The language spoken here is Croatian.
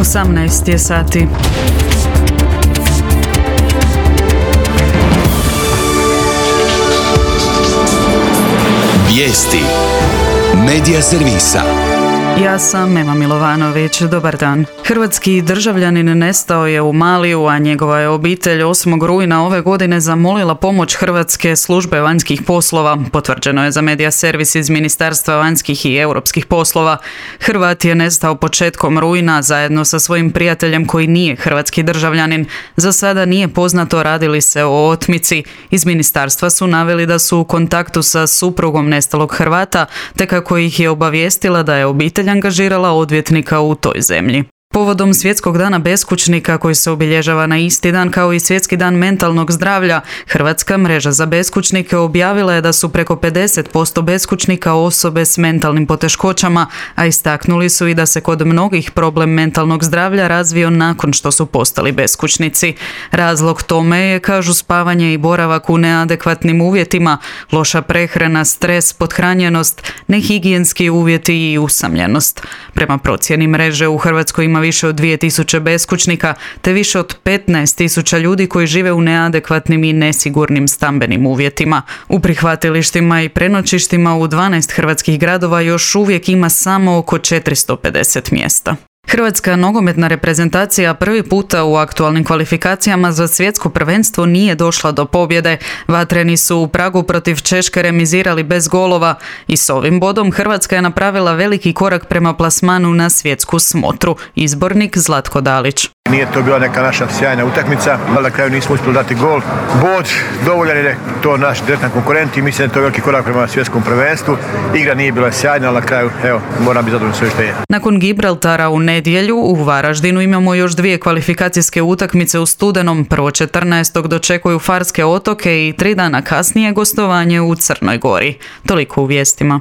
18 je sati. Vijesti Medija servisa. Ja sam Ema Milovanović, dobar dan. Hrvatski državljanin nestao je u Maliju, a njegova je obitelj 8. rujna ove godine zamolila pomoć Hrvatske službe vanjskih poslova. Potvrđeno je za Medija servis iz Ministarstva vanjskih i europskih poslova. Hrvat je nestao početkom rujna zajedno sa svojim prijateljem koji nije hrvatski državljanin. Za sada nije poznato radi li se o otmici. Iz ministarstva su naveli da su u kontaktu sa suprugom nestalog Hrvata, te kako ih je obavijestila da je obitelj angažirala odvjetnika u toj zemlji. Povodom Svjetskog dana beskućnika koji se obilježava na isti dan kao i Svjetski dan mentalnog zdravlja, Hrvatska mreža za beskućnike objavila je da su preko 50% beskućnika osobe s mentalnim poteškoćama, a istaknuli su i da se kod mnogih problem mentalnog zdravlja razvio nakon što su postali beskućnici. Razlog tome je, kažu, spavanje i boravak u neadekvatnim uvjetima, loša prehrana, stres, pothranjenost, nehigijenski uvjeti i usamljenost. Prema procjeni mreže u Hrvatskoj ima više od 2000 beskućnika, te više od 15.000 ljudi koji žive u neadekvatnim i nesigurnim stambenim uvjetima. U prihvatilištima i prenoćištima u 12 hrvatskih gradova još uvijek ima samo oko 450 mjesta. Hrvatska nogometna reprezentacija prvi puta u aktualnim kvalifikacijama za svjetsko prvenstvo nije došla do pobjede. Vatreni su u Pragu protiv Češke remizirali bez golova i s ovim bodom Hrvatska je napravila veliki korak prema plasmanu na svjetsku smotru. Izbornik Zlatko Dalić. Nije to bila neka naša sjajna utakmica, ali na kraju nismo uspjeli dati gol. Bod dovoljan je to naš direktan konkurent i mislim da je to veliki korak prema svjetskom prvenstvu. Igra nije bila sjajna, ali na kraju, moram biti zadovoljan sve što je. Nakon Gibraltara u nedjelju u Varaždinu imamo još 2 kvalifikacijske utakmice u studenom. Prvo 14. dočekuju Farske otoke i 3 dana kasnije gostovanje u Crnoj Gori. Toliko u vijestima.